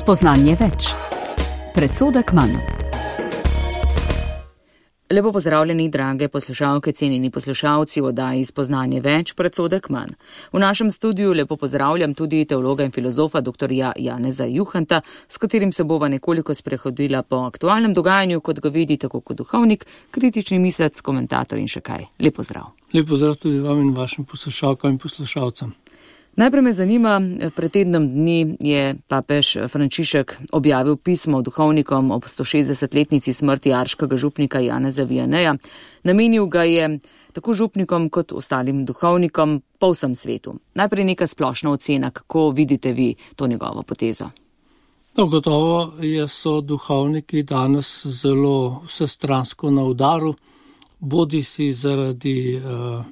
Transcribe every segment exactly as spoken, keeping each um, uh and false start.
Spoznanje več. Predsodek manj. Lepo pozdravljeni, drage poslušalke, cenjeni poslušalci v oddaji Spoznanje več, predsodek manj. V našem studiu lepo pozdravljam tudi teologa in filozofa doktorja Janeza Juhanta, s katerim se bova nekoliko sprehodila po aktualnem dogajanju, kot ga vidi tako kot duhovnik, kritični mislec, komentator in še kaj. Lep pozdrav. Lep pozdrav tudi vam in vašim poslušalkam in poslušalcem. Najprej me zanima, pred tednom dni je papež Frančišek objavil pismo duhovnikom ob stošestdesetletnici smrti arškega župnika Janeza Vianeja. Namenil ga je tako župnikom kot ostalim duhovnikom po vsem svetu. Najprej neka splošna ocena, kako vidite vi to njegovo potezo? No, gotovo je so duhovniki danes zelo vsestransko na udaru, bodi si zaradi uh,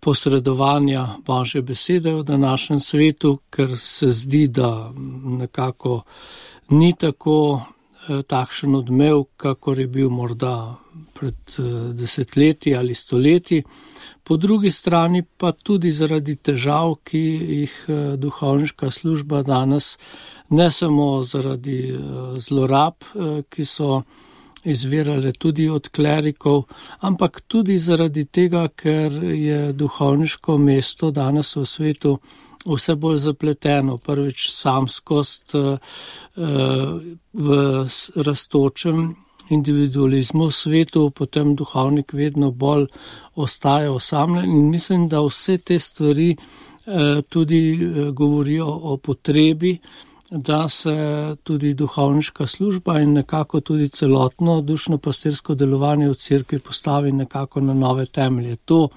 posredovanja Božje besede v današnjem svetu, ker se zdi, da nekako ni tako eh, takšen odmev, kakor je bil morda pred eh, desetletji ali stoletji. Po drugi strani pa tudi zaradi težav, ki jih eh, duhovniška služba danes, ne samo zaradi eh, zlorab, eh, ki so izvirale tudi od klerikov, ampak tudi zaradi tega, ker je duhovniško mesto danes v svetu vse bolj zapleteno. Prvič samskost v rastočem individualizmu v svetu, potem duhovnik vedno bolj ostaja osamljen in mislim, da vse te stvari tudi govorijo o potrebi, da se tudi duhovniška služba in nekako tudi celotno dušno-pastirsko delovanje v cerkvi postavi nekako na nove temelje. To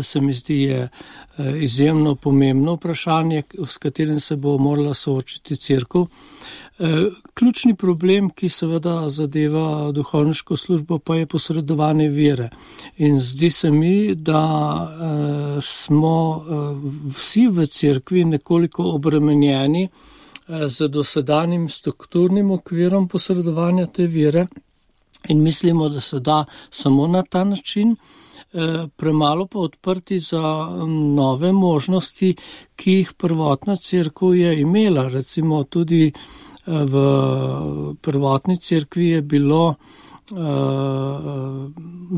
se mi zdi je izjemno pomembno vprašanje, s katerim se bo morala soočiti cerkev. Ključni problem, ki seveda zadeva duhovniško službo, pa je posredovanje vere. In zdi se mi, da smo vsi v cerkvi nekoliko obremenjeni z dosedanjim strukturnim okvirom posredovanja te vere in mislimo, da se da samo na ta način, premalo pa odprti za nove možnosti, ki jih prvotna cerkev je imela. Recimo tudi v prvotni cerkvi je bilo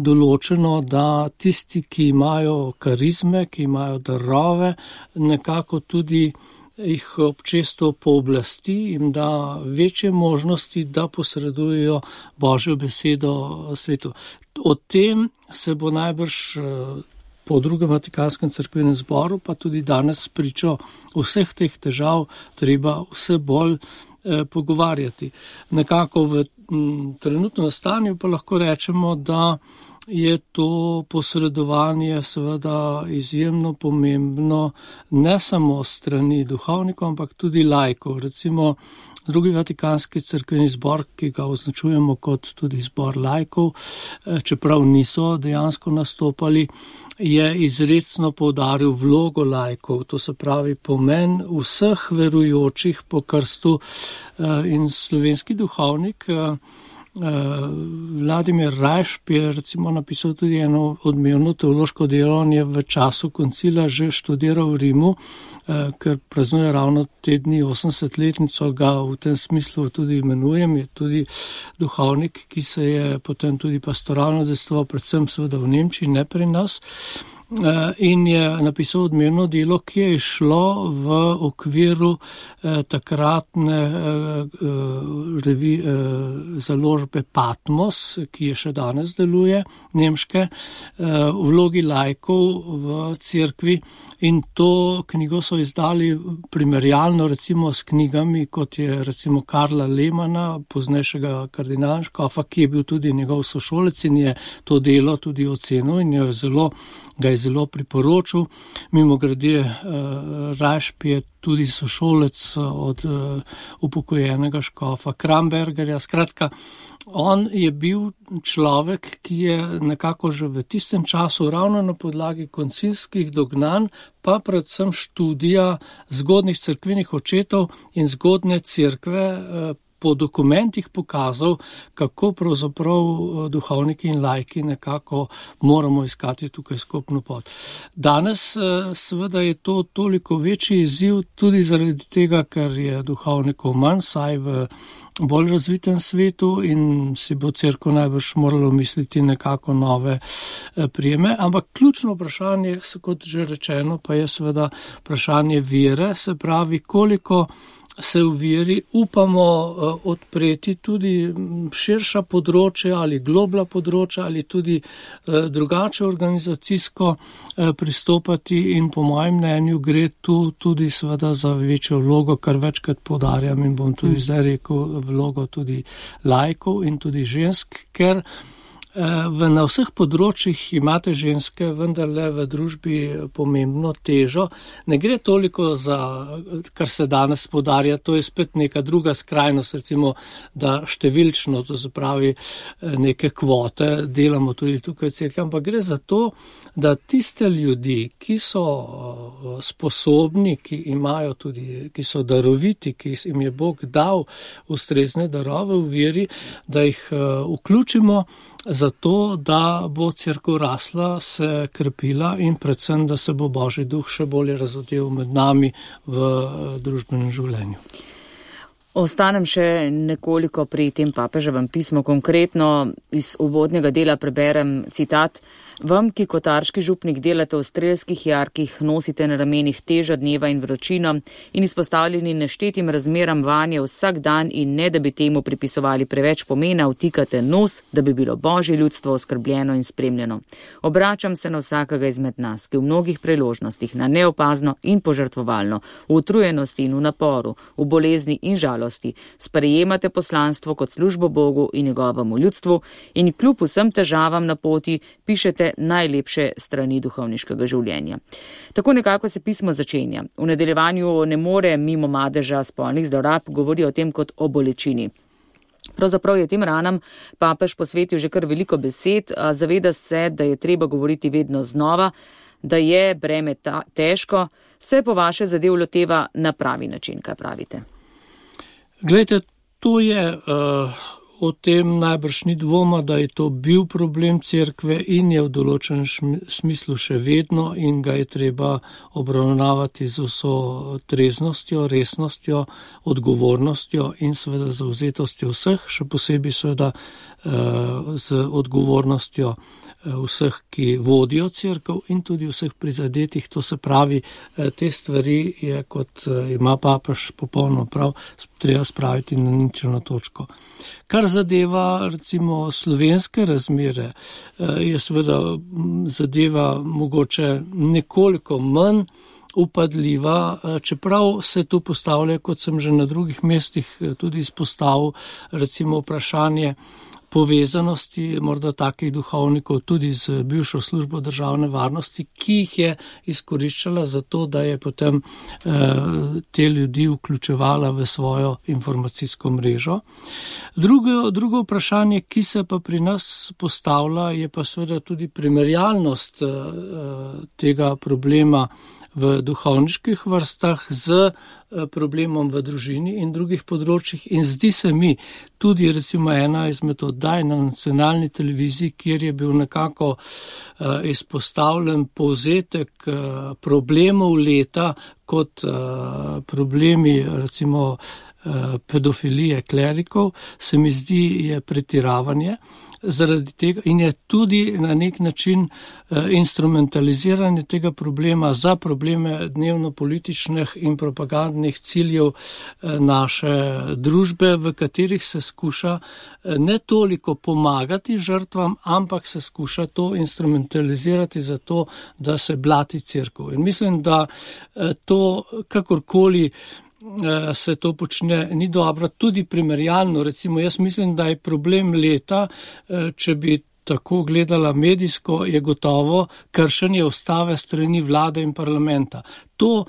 določeno, da tisti, ki imajo karizme, ki imajo darove, nekako tudi jih občestvo pooblasti in da večje možnosti, da posredujejo Božjo besedo svetu. O tem se bo najbrž po drugem Vatikanskem cerkvenem zboru, pa tudi danes pričo vseh teh težav, treba vse bolj eh, pogovarjati. Nekako v m, trenutnem stanju pa lahko rečemo, da je to posredovanje seveda izjemno pomembno ne samo strani duhovnikov, ampak tudi laikov. Recimo drugi Vatikanski cerkveni zbor, ki ga označujemo kot tudi zbor laikov, čeprav niso dejansko nastopali, je izrecno poudaril vlogo laikov, to se pravi pomen vseh verujočih po krstu in slovenski duhovnik Vladimir Rajšp je recimo napisal tudi eno odmevno teološko delo, on je v času koncila že študiral v Rimu, ker praznuje ravno te dni osemdesetletnico, ga v tem smislu tudi imenujem, je tudi duhovnik, ki se je potem tudi pastoralno udejstvoval, predvsem seveda v Nemčiji, ne pri nas. In je napisal odmevno delo, ki je išlo v okviru eh, takratne eh, revi, eh, založbe Patmos, ki je še danes deluje, nemške, eh, v vlogi laikov v cerkvi. In to knjigo so izdali primerjalno recimo s knjigami, kot je recimo Karla Lehmana, poznejšega kardinala škofa, ki je bil tudi njegov sošolec in je to delo tudi ocenil in je zelo ga je zelo priporočil. Mimogrede, Rajšp je tudi sošolec od upokojenega škofa Krambergerja. Skratka, on je bil človek, ki je nekako že v tistem času ravno na podlagi koncilskih dognanj, pa predvsem študija zgodnjih cerkvenih očetov in zgodne cerkve po dokumentih pokazal, kako pravzaprav duhovniki in laiki nekako moramo iskati tukaj skupno pot. Danes seveda je to toliko večji izziv tudi zaradi tega, ker je duhovnikov manj, saj v bolj razvitem svetu in si bo cerkev najbrž moralo misliti nekako nove prijeme. Ampak ključno vprašanje, kot že rečeno, pa je seveda vprašanje vere, se pravi, koliko se v veri upamo odpreti tudi širša področja ali globla področja ali tudi drugače organizacijsko pristopati in po mojem mnenju gre tu tudi seveda za večjo vlogo, kar večkrat poudarjam in bom tudi zdaj rekel vlogo tudi laikov in tudi žensk, ker V, na vseh področjih imate ženske vendarle v družbi pomembno težo. Ne gre toliko za, kar se danes podarja, to je spet neka druga skrajnost, recimo, da številčno, to se pravi neke kvote, delamo tudi tukaj v cerkvi, ampak gre za to, da tiste ljudi, ki so sposobni, ki imajo tudi, ki so daroviti, ki jim je Bog dal ustrezne darove v veri, da jih vključimo zato, da bo cerkev rasla, se krepila in predvsem, da se bo Božji duh še bolje razodel med nami v družbenem življenju. Ostanem še nekoliko pri tem papeževem pismu. Konkretno iz uvodnega dela preberem citat. Vam, ki kot arški župnik delate v strelskih jarkih, nosite na ramenih težo dneva in vročino in izpostavljeni neštetim razmeram vanje vsak dan in ne, da bi temu pripisovali preveč pomena, vtikate nos, da bi bilo Božje ljudstvo oskrbljeno in spremljeno. Obračam se na vsakega izmed nas, ki v mnogih priložnostih na neopazno in požrtvovalno, v utrujenosti in v naporu, v bolezni in žalosti, sprejemate poslanstvo kot službo Bogu in njegovemu ljudstvu in kljub vsem težavam na poti pišete najlepše strani duhovniškega življenja. Tako nekako se pismo začenja. V nadaljevanju ne more mimo madeža spolnih zlorab, govori o tem kot o bolečini. Pravzaprav je tem ranam papež posvetil že kar veliko besed, a zaveda se, da je treba govoriti vedno znova, da je breme ta, težko, se po vaše zadev loteva na pravi način, kaj pravite? Glejte, to je... Uh... O tem najbrž ni dvoma, da je to bil problem cerkve in je v določenem smislu še vedno in ga je treba obravnavati z vso treznostjo, resnostjo, odgovornostjo in seveda zavzetostjo vseh, še posebej seveda z odgovornostjo vseh, ki vodijo cerkev in tudi vseh prizadetih. To se pravi, te stvari je, kot ima papež popolno prav, treba spraviti na ničelno točko. Kar zadeva recimo slovenske razmere, je seveda zadeva mogoče nekoliko manj upadljiva, čeprav se tu postavlja, kot sem že na drugih mestih tudi izpostavil, recimo vprašanje povezanosti morda takih duhovnikov tudi z bivšo službo državne varnosti, ki jih je izkoriščala za to, da je potem eh, te ljudi vključevala v svojo informacijsko mrežo. Drugo, drugo vprašanje, ki se pa pri nas postavlja, je pa seveda tudi primerjalnost eh, tega problema v duhovniških vrstah z problemom v družini in drugih področjih in zdi se mi tudi recimo ena izmed oddaj na nacionalni televiziji, kjer je bil nekako uh, izpostavljen povzetek uh, problemov leta kot uh, problemi recimo uh, pedofilije klerikov, se mi zdi je pretiravanje. Zaradi tega in je tudi na nek način uh, instrumentaliziranje tega problema za probleme dnevno-političnih in propagandnih ciljev uh, naše družbe, v katerih se skuša uh, ne toliko pomagati žrtvam, ampak se skuša to instrumentalizirati za to, da se blati cerkev. In mislim, da uh, to kakorkoli se to počne, ni dobro, tudi primerjalno. Recimo, jaz mislim, da je problem leta, če bi tako gledala medijsko, je gotovo kršenje ustave strani vlade in parlamenta. To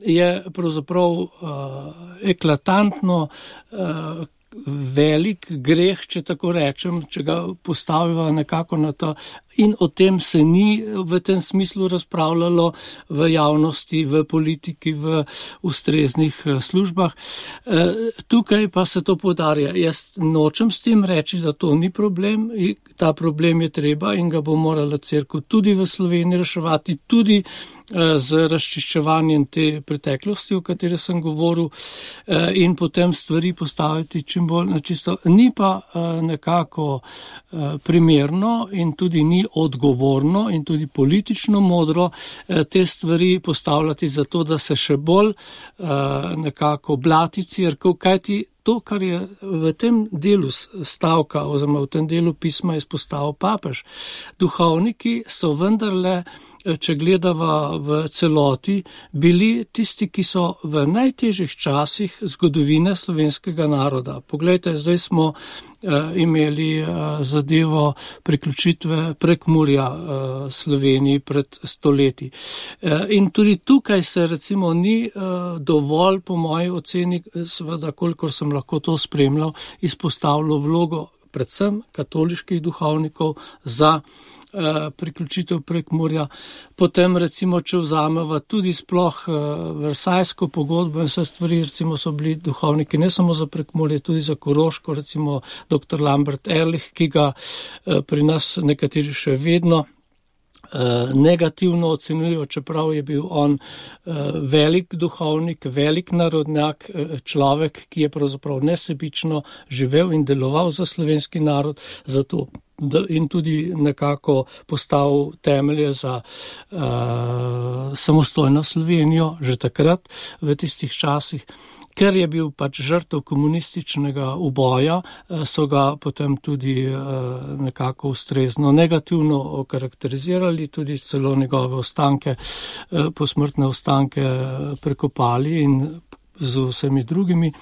je pravzaprav uh, eklatantno, uh, velik greh, če tako rečem, če ga postaviva nekako na to, in o tem se ni v tem smislu razpravljalo v javnosti, v politiki, v ustreznih službah. Tukaj pa se to poudarja. Jaz nočem s tem reči, da to ni problem, ta problem je treba in ga bo morala cerkev tudi v Sloveniji reševati, tudi z razčiščevanjem te preteklosti, o kateri sem govoril, in potem stvari postaviti čim bolj na čisto. Ni pa nekako primerno in tudi ni odgovorno in tudi politično modro te stvari postavljati zato, da se še bolj nekako blati cerkev, kajti to, kar je v tem delu stavka oziroma v tem delu pisma izpostavil papež, duhovniki so vendarle, če gledava v celoti, bili tisti, ki so v najtežjih časih zgodovine slovenskega naroda. Poglejte, zdaj smo imeli zadevo priključitve Prekmurja Sloveniji pred stoletji. In tudi tukaj se recimo ni dovolj, po moji oceni, seveda, kolikor sem lahko to spremljal, izpostavilo vlogo predvsem katoliških duhovnikov za priključitev Prekmurja. Potem recimo, če vzameva tudi sploh Versajsko pogodbo in vse stvari, recimo so bili duhovniki ne samo za Prekmurje, tudi za Koroško, recimo doktor Lambert Ehrlich, ki ga pri nas nekateri še vedno negativno ocenjujejo, čeprav je bil on velik duhovnik, velik narodnjak, človek, ki je pravzaprav nesebično živel in deloval za slovenski narod, zato in tudi nekako postavil temelje za uh, samostojno Slovenijo že takrat v tistih časih. Ker je bil pač žrtev komunističnega uboja, so ga potem tudi nekako ustrezno negativno okarakterizirali, tudi celo njegove ostanke, posmrtne ostanke prekopali in z vsemi drugimi.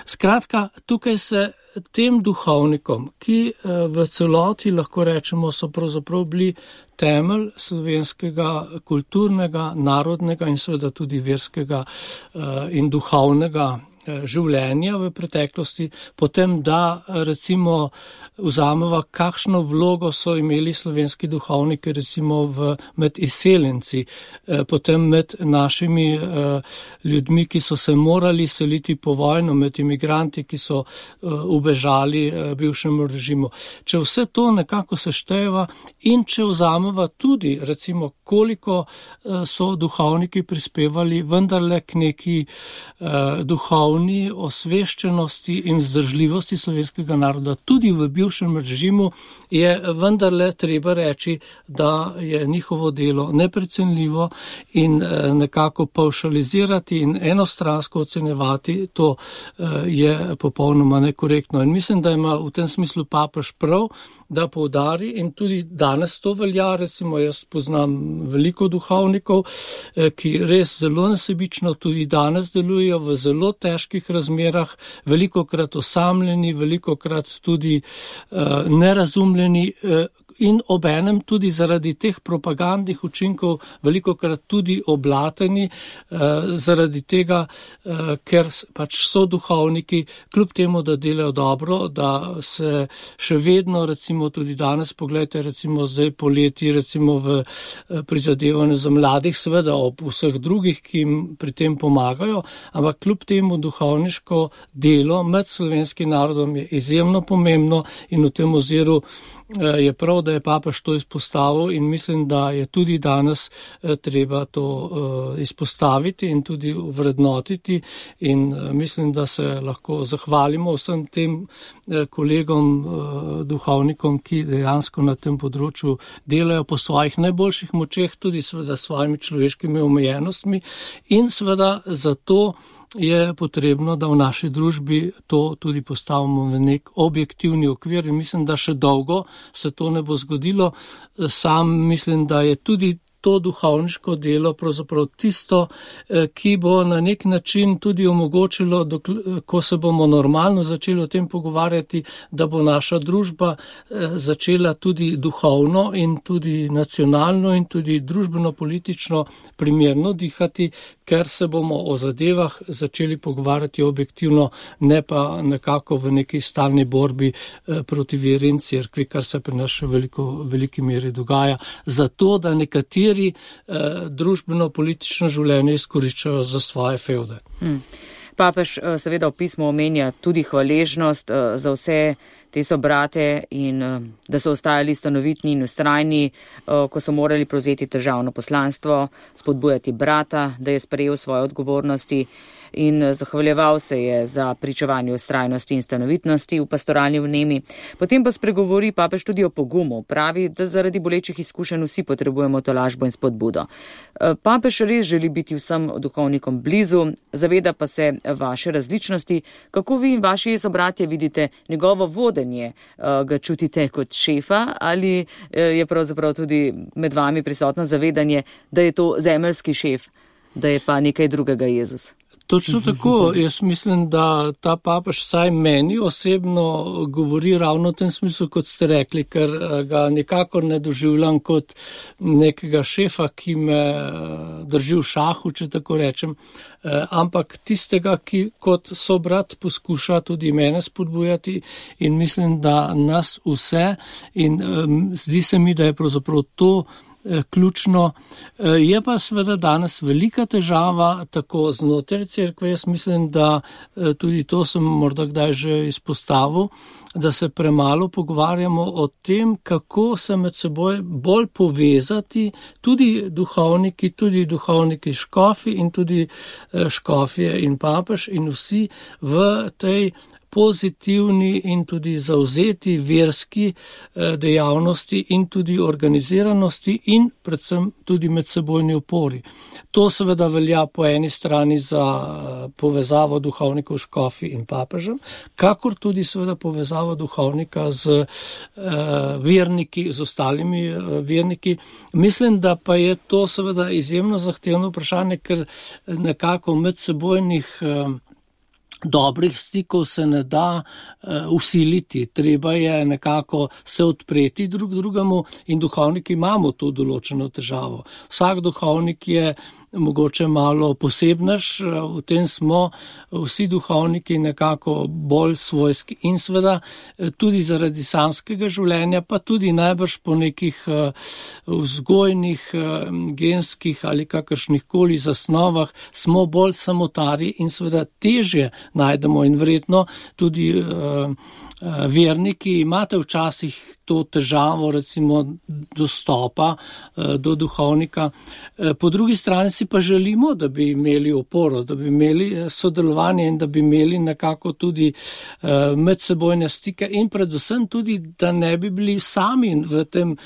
Skratka, tukaj se tem duhovnikom, ki v celoti lahko rečemo, so pravzaprav bili temelj slovenskega kulturnega, narodnega in seveda tudi verskega in duhovnega življenja v preteklosti, potem da recimo vzameva, kakšno vlogo so imeli slovenski duhovniki recimo v, med izseljenci, potem med našimi ljudmi, ki so se morali seliti po vojno, med imigranti, ki so ubežali bivšemu režimu. Če vse to nekako sešteva in če vzameva tudi recimo, koliko so duhovniki prispevali vendarle k neki duhovni osveščenosti in vzdržljivosti slovenskega naroda, tudi v bivšem režimu, je vendarle treba reči, da je njihovo delo neprecenljivo in nekako pavšalizirati in enostransko ocenjevati, to je popolnoma nekorektno. In mislim, da ima v tem smislu papež prav, da poudari in tudi danes to velja, recimo jaz poznam veliko duhovnikov, ki res zelo nesebično tudi danes delujejo v zelo težkih razmerah, velikokrat osamljeni, velikokrat tudi uh, nerazumljeni uh, in obenem tudi zaradi teh propagandnih učinkov velikokrat tudi oblateni, uh, zaradi tega, uh, ker pač so duhovniki, kljub temu, da delajo dobro, da se še vedno, recimo tudi danes, pogledajte, recimo zdaj poleti, recimo v prizadevanju za mladih, seveda ob vseh drugih, ki jim pri tem pomagajo, ampak kljub temu duhovniško delo med slovenskim narodom je izjemno pomembno in v tem oziru je prav, da je papež to izpostavil in mislim, da je tudi danes treba to izpostaviti in tudi vrednotiti in mislim, da se lahko zahvalimo vsem tem kolegom, duhovnikom, ki dejansko na tem področju delajo po svojih najboljših močeh, tudi seveda s svojimi človeškimi omejenostmi in seveda zato je potrebno, da v naši družbi to tudi postavimo v nek objektivni okvir in mislim, da še dolgo se to ne bo zgodilo. Sam mislim, da je tudi to duhovniško delo pravzaprav tisto, ki bo na nek način tudi omogočilo, ko se bomo normalno začeli o tem pogovarjati, da bo naša družba začela tudi duhovno in tudi nacionalno in tudi družbeno-politično primerno dihati, ker se bomo o zadevah začeli pogovarjati objektivno, ne pa nekako v neki stalni borbi proti veri in cerkvi, kar se pri nas še veliko, veliki meri dogaja, zato da nekateri eh, družbeno-politično življenje izkoriščajo za svoje fevde. Hmm. Papež seveda v pismu omenja tudi hvaležnost za vse te sobrate in da so ostajali stanovitni in ustrajni, ko so morali prevzeti težavno poslanstvo, spodbujati brata, da je sprejel svoje odgovornosti in zahvaljeval se je za pričevanje ustrajnosti in stanovitnosti v pastoralni vnemi. Potem pa spregovori papež tudi o pogumu. Pravi, da zaradi bolečih izkušenj vsi potrebujemo tolažbo in spodbudo. Papež res želi biti vsem duhovnikom blizu, zaveda pa se vaše različnosti. Kako vi in vaši sobratje vidite njegovo vodenje? Ga čutite kot šefa ali je pravzaprav tudi med vami prisotno zavedanje, da je to zemeljski šef, da je pa nekaj drugega Jezus? Točno tako, jaz mislim, da ta papež vsaj meni osebno govori ravno v tem smislu, kot ste rekli, ker ga nikakor ne doživljam kot nekega šefa, ki me drži v šahu, če tako rečem, ampak tistega, ki kot sobrat poskuša tudi mene spodbujati in mislim, da nas vse in zdi se mi, da je pravzaprav to ključno. Je pa seveda danes velika težava tako znotraj cerkve. Jaz mislim, da tudi to sem morda kdaj že izpostavil, da se premalo pogovarjamo o tem, kako se med seboj bolj povezati tudi duhovniki, tudi duhovniki škofi in tudi škofje in papež in vsi v tej pozitivni in tudi zauzeti verski dejavnosti in tudi organiziranosti in predvsem tudi medsebojni opori. To seveda velja po eni strani za povezavo duhovnikov škofi in papežem, kakor tudi seveda povezavo duhovnika z verniki, z ostalimi verniki. Mislim, da pa je to seveda izjemno zahtevno vprašanje, ker nekako medsebojnih dobrih stikov se ne da uh, usiliti, treba je nekako se odpreti drug drugemu in duhovniki imamo to določeno težavo. Vsak duhovnik je mogoče malo posebnež, v tem smo vsi duhovniki nekako bolj svojski in seveda tudi zaradi samskega življenja, pa tudi najbrž po nekih vzgojnih, genskih ali kakršnih koli zasnovah smo bolj samotari in seveda težje najdemo in verjetno tudi verniki imate včasih to težavo recimo dostopa do duhovnika. Po drugi strani si pa želimo, da bi imeli oporo, da bi imeli sodelovanje in da bi imeli nekako tudi medsebojne stike in predvsem tudi, da ne bi bili sami v tem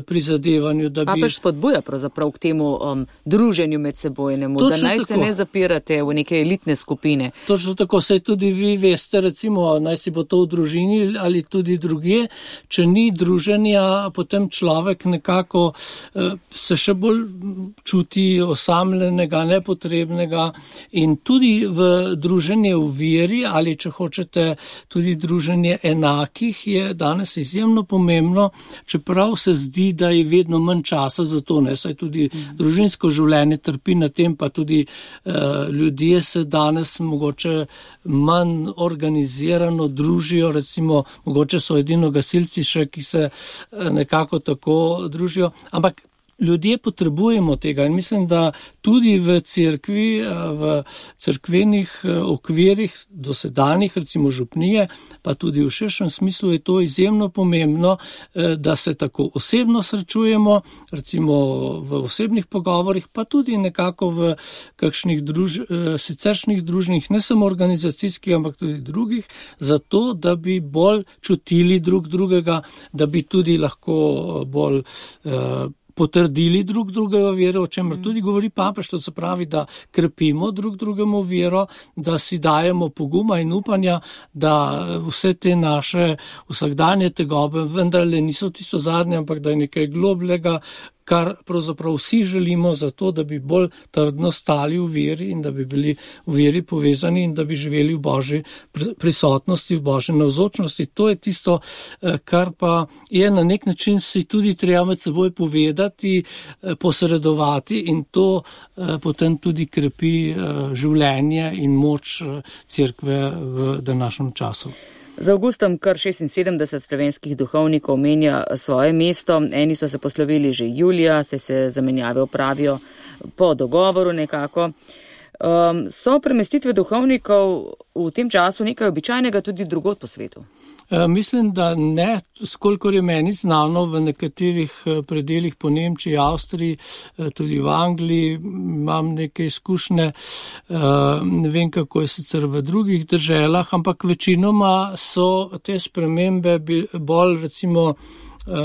prizadevanju. Da bi... Papež spodbuja pravzaprav k temu um, druženju medsebojnemu, točno da naj tako. Se ne zapirate v neke elitne skupine. Točno tako, saj tudi vi veste, recimo, naj si bo to v družini ali tudi drugje, če ni druženja, potem človek nekako eh, se še bolj čuti osamljenega, nepotrebnega in tudi v druženje v veri ali če hočete tudi druženje enakih je danes izjemno pomembno, čeprav se zdi, da je vedno manj časa za to, ne, saj tudi mm. družinsko življenje trpi na tem, pa tudi eh, ljudje se danes mogoče manj organizirano družijo, recimo mogoče so edino gasilci še, ki se nekako tako družijo, ampak ljudje potrebujemo tega in mislim, da tudi v cerkvi, v cerkvenih okvirih dosedanjih, recimo župnije, pa tudi v širšem smislu je to izjemno pomembno, da se tako osebno srečujemo, recimo v osebnih pogovorih, pa tudi nekako v kakšnih druž, siceršnjih družnih, ne samo organizacijskih, ampak tudi drugih, zato, da bi bolj čutili drug drugega, da bi tudi lahko bolj potrdili drug drugega vero, o čemer tudi govori papež, to se pravi, da krepimo drug drugemu vero, da si dajemo poguma in upanja, da vse te naše vsakdanje tegobe vendarle niso tisto zadnje, ampak da je nekaj globljega, kar pravzaprav vsi želimo za to, da bi bolj trdno stali v veri in da bi bili v veri povezani in da bi živeli v Božji prisotnosti, v Božji navzočnosti. To je tisto, kar pa je na nek način si tudi treba med seboj povedati, posredovati in to potem tudi krepi življenje in moč cerkve v današnjem času. Z avgustom kar šestinsedemdeset slovenskih duhovnikov menja svoje mesto. Eni so se poslovili že julija, se se zamenjave opravijo po dogovoru nekako. Um, so premestitve duhovnikov v tem času nekaj običajnega tudi drugod po svetu? E, mislim, da ne, skolikor je meni znano v nekaterih predeljih po Nemčiji, Avstriji, tudi v Angliji, imam neke izkušnje, e, ne vem, kako je sicer v drugih državah, ampak večinoma so te spremembe bolj recimo e,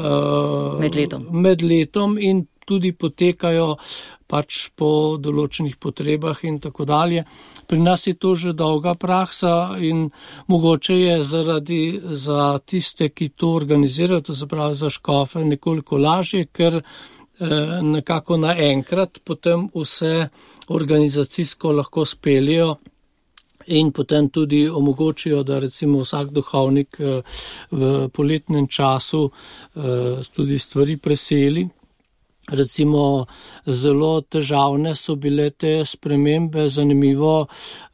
med letom. med letom in tudi potekajo pač po določenih potrebah in tako dalje. Pri nas je to že dolga praksa in mogoče je zaradi za tiste, ki to organizirajo, to se pravi za škofe, nekoliko lažje, ker eh, nekako naenkrat potem vse organizacijsko lahko speljejo in potem tudi omogočijo, da recimo vsak duhovnik eh, v poletnem času eh, tudi stvari preseli. Recimo zelo težavne so bile te spremembe, zanimivo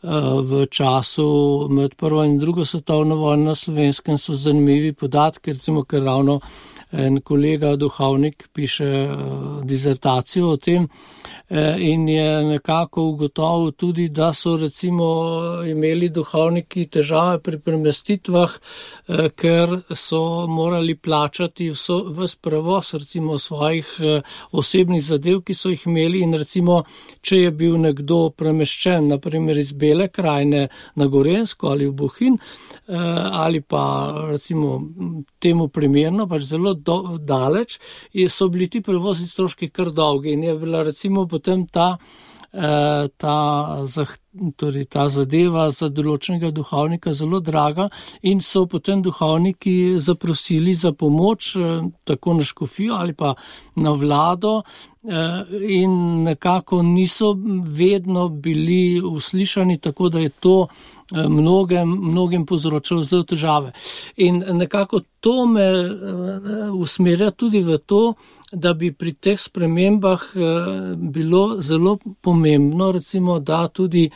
v času med prvo in drugo svetovno vojno na Slovenskem so zanimivi podatki, recimo, ker ravno en kolega duhovnik piše dizertacijo o tem in je nekako ugotovil tudi, da so recimo imeli duhovniki težave pri premestitvah, ker so morali plačati vso, ves prevoz recimo svojih osebnih zadev, ki so jih imeli in recimo, če je bil nekdo premeščen, naprimer iz Bele krajine na Gorenjsko ali v Bohinj, ali pa recimo temu primerno, pač zelo do, daleč, so bili ti prevozni stroški kar dolgi in je bila recimo potem ta, ta, torej ta zadeva za določenega duhovnika zelo draga in so potem duhovniki zaprosili za pomoč tako na škofijo ali pa na vlado in nekako niso vedno bili uslišani, tako da je to mnogem, mnogim povzročalo zelo težave. In nekako to me usmerja tudi v to, da bi pri teh spremembah bilo zelo pomembno, recimo, da tudi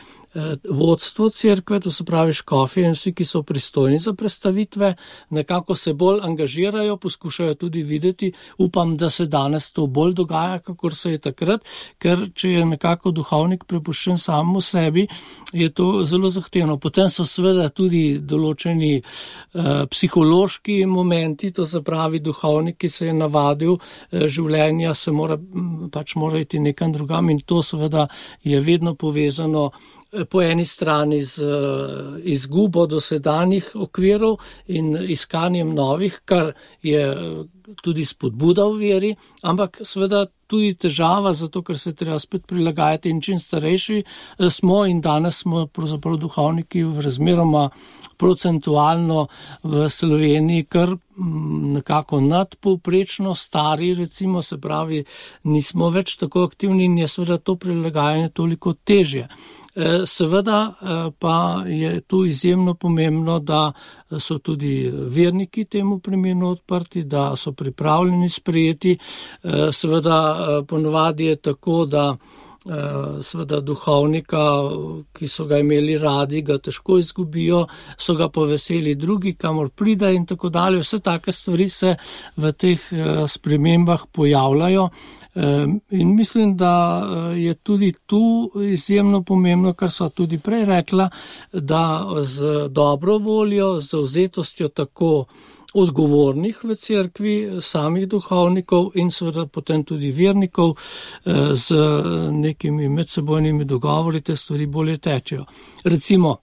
vodstvo cerkve, to se pravi škofje in vsi, ki so pristojni za predstavitve, nekako se bolj angažirajo, poskušajo tudi videti. Upam, da se danes to bolj dogaja, kakor se je takrat, ker če je nekako duhovnik prepuščen samemu sebi, je to zelo zahtevno. Potem so seveda tudi določeni eh, psihološki momenti, to se pravi duhovnik, ki se je navadil eh, življenja, se mora, pač mora iti nekam drugam in to seveda je vedno povezano po eni strani z izgubo dosedanjih okvirov in iskanjem novih, kar je tudi spodbuda v veri, ampak seveda tudi težava, zato ker se treba spet prilagajati in čim starejši smo in danes smo pravzaprav duhovniki v razmeroma procentualno v Sloveniji, kar nekako nadpovprečno stari, recimo, se pravi, nismo več tako aktivni in je seveda to prilagajanje toliko težje. Seveda pa je tu izjemno pomembno, da so tudi verniki temu primerno odprti, da so pripravljeni sprejeti. Seveda ponovadi je tako, da seveda duhovnika, ki so ga imeli radi, ga težko izgubijo, so ga poveseli drugi, kamor pride in tako dalje. Vse take stvari se v teh spremembah pojavljajo in mislim, da je tudi tu izjemno pomembno, kar sva tudi prej rekla, da z dobro voljo, z zavzetostjo tako odgovornih v cerkvi, samih duhovnikov in seveda potem tudi vernikov z nekimi medsebojnimi dogovori te stvari bolje tečejo. Recimo,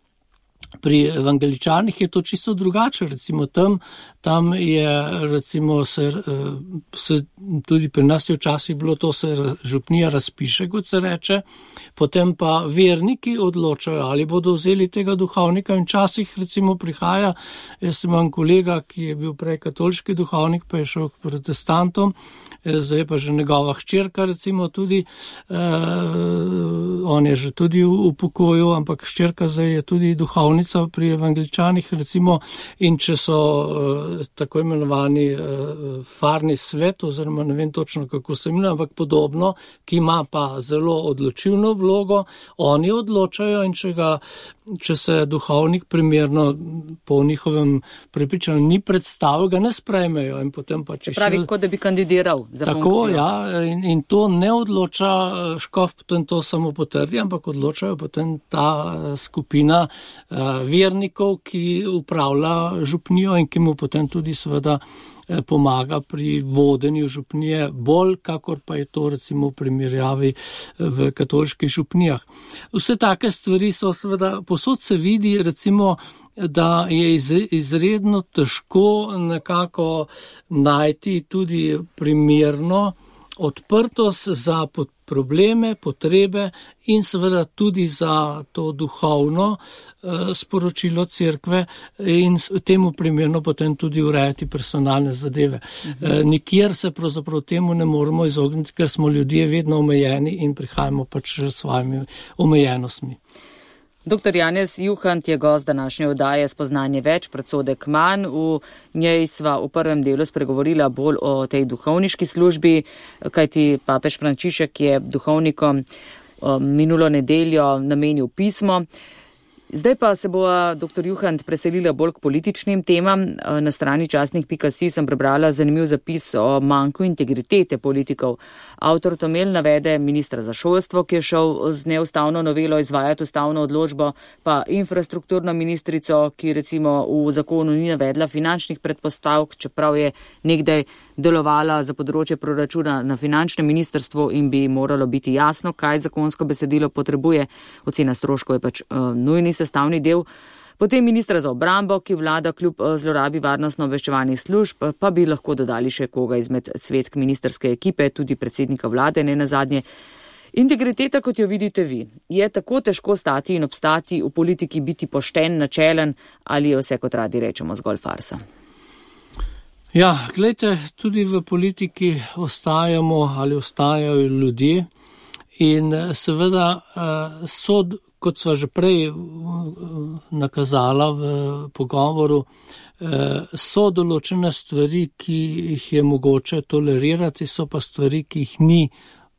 Pri evangeličanih je to čisto drugače, recimo tam, tam je recimo se, se tudi pri nas je včasih bilo to, se župnija razpiše, kot se reče, potem pa verniki odločajo, ali bodo vzeli tega duhovnika in včasih recimo prihaja, jaz imam kolega, ki je bil prej katoliški duhovnik, pa je šel k protestantom, zdaj pa že njegova hčerka recimo tudi, eh, on je že tudi v pokoju, ampak hčerka zdaj je tudi duhovnica pri evangeličanih recimo, in če so uh, tako imenovani uh, farni svet, oziroma ne vem točno kako se imenuje, ampak podobno, ki ima pa zelo odločilno vlogo, oni odločajo in če ga če se duhovnik primerno po njihovem prepričanju ni predstavil, ga ne sprejmejo. In potem pa če pravi, kot da bi kandidiral za tako, funkcijo. Ja, in, in to ne odloča škof, potem to samo potrdi, ampak odločajo potem ta skupina uh, vernikov, ki upravlja župnijo in ki mu potem tudi seveda pomaga pri vodenju župnije, bolj kakor pa je to recimo v primerjavi v katoliških župnijah. Vse take stvari so seveda, posod se vidi recimo, da je iz, izredno težko nekako najti tudi primerno odprtost za probleme, potrebe in seveda tudi za to duhovno eh, sporočilo cerkve in temu primerno potem tudi urejati personalne zadeve. Mhm. Eh, nikjer se pravzaprav temu ne moremo izogniti, ker smo ljudje vedno omejeni in prihajamo pač s svojimi omejenostmi. Doktor Janez Juhant je gost današnje oddaje Spoznanje več, predsodek manj. V njej sva v prvem delu spregovorila bolj o tej duhovniški službi, kajti papež Frančišek je duhovnikom minulo nedeljo namenil pismo. Zdaj pa se bo doktor Juhant preselila bolj k političnim temam. Na strani časnik pika si sem prebrala zanimiv zapis o manjku integritete politikov. Avtor Tomel navede ministra za šolstvo, ki je šel z neustavno novelo izvajati ustavno odločbo, pa infrastrukturno ministrico, ki recimo v zakonu ni navedla finančnih predpostavk, čeprav je nekdaj delovala za področje proračuna na finančnem ministrstvu in bi moralo biti jasno, kaj zakonsko besedilo potrebuje. Ocena stroškov je pač uh, nujni sestavni del. Potem ministra za obrambo, ki vlada kljub zlorabi varnostno-obveščevalnih služb, pa bi lahko dodali še koga izmed cvetk ministerske ekipe, tudi predsednika vlade, ne nazadnje. Integriteta, kot jo vidite vi, je tako težko stati in obstati v politiki, biti pošten, načelen, ali je vse, kot radi rečemo, zgolj farsa? Ja, gledajte, tudi v politiki ostajamo ali ostajajo ljudje in seveda sod, kot sva že prej nakazala v pogovoru, so določene stvari, ki jih je mogoče tolerirati, so pa stvari, ki jih ni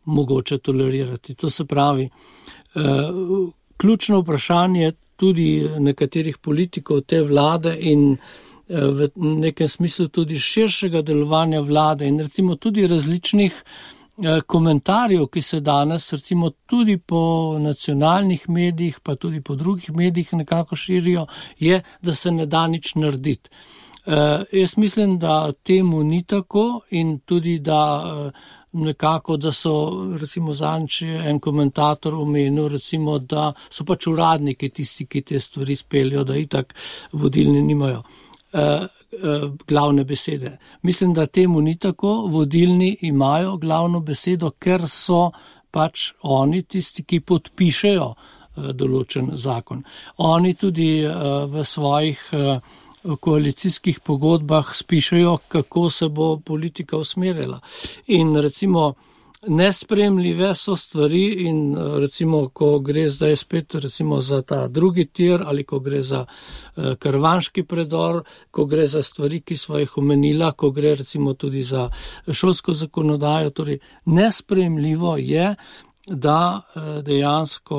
mogoče tolerirati. To se pravi, ključno vprašanje tudi nekaterih politikov te vlade in v nekem smislu tudi širšega delovanja vlade in recimo tudi različnih komentarjev, ki se danes recimo tudi po nacionalnih medijih, pa tudi po drugih medijih nekako širijo, je, da se ne da nič narediti. Uh, jaz mislim, da temu ni tako in tudi, da uh, nekako, da so recimo zanč en komentator omenil, recimo, da so pač uradniki tisti, ki te stvari speljajo, da itak vodilni nimajo uh, uh, glavne besede. Mislim, da temu ni tako, vodilni imajo glavno besedo, ker so pač oni tisti, ki podpišejo uh, določen zakon. Oni tudi uh, v svojih uh, v koalicijskih pogodbah spišejo, kako se bo politika usmerila. In recimo nespremljive so stvari in recimo, ko gre zdaj spet recimo za ta drugi tir ali ko gre za uh, Karvanški predor, ko gre za stvari, ki sva jih omenila, ko gre recimo tudi za šolsko zakonodajo, torej nespremljivo je, da uh, dejansko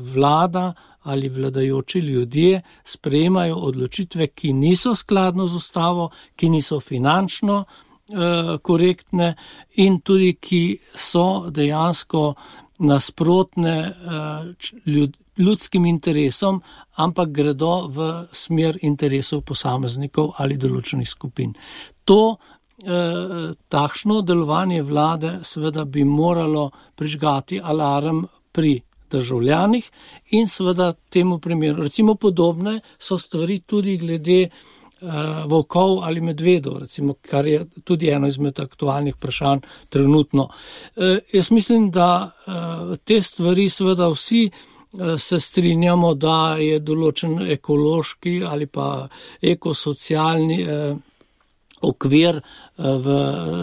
vlada ali vladajoči ljudje sprejemajo odločitve, ki niso skladno z ustavo, ki niso finančno eh, korektne in tudi, ki so dejansko nasprotne eh, ljud, ljudskim interesom, ampak gredo v smer interesov posameznikov ali določenih skupin. To eh, takšno delovanje vlade seveda bi moralo prižgati alarm pri državljanih in seveda temu primeru. Recimo podobne so stvari tudi glede volkov ali medvedov, recimo, kar je tudi eno izmed aktualnih vprašanj trenutno. Jaz mislim, da te stvari seveda vsi se strinjamo, da je določen ekološki ali pa ekosocialni okvir v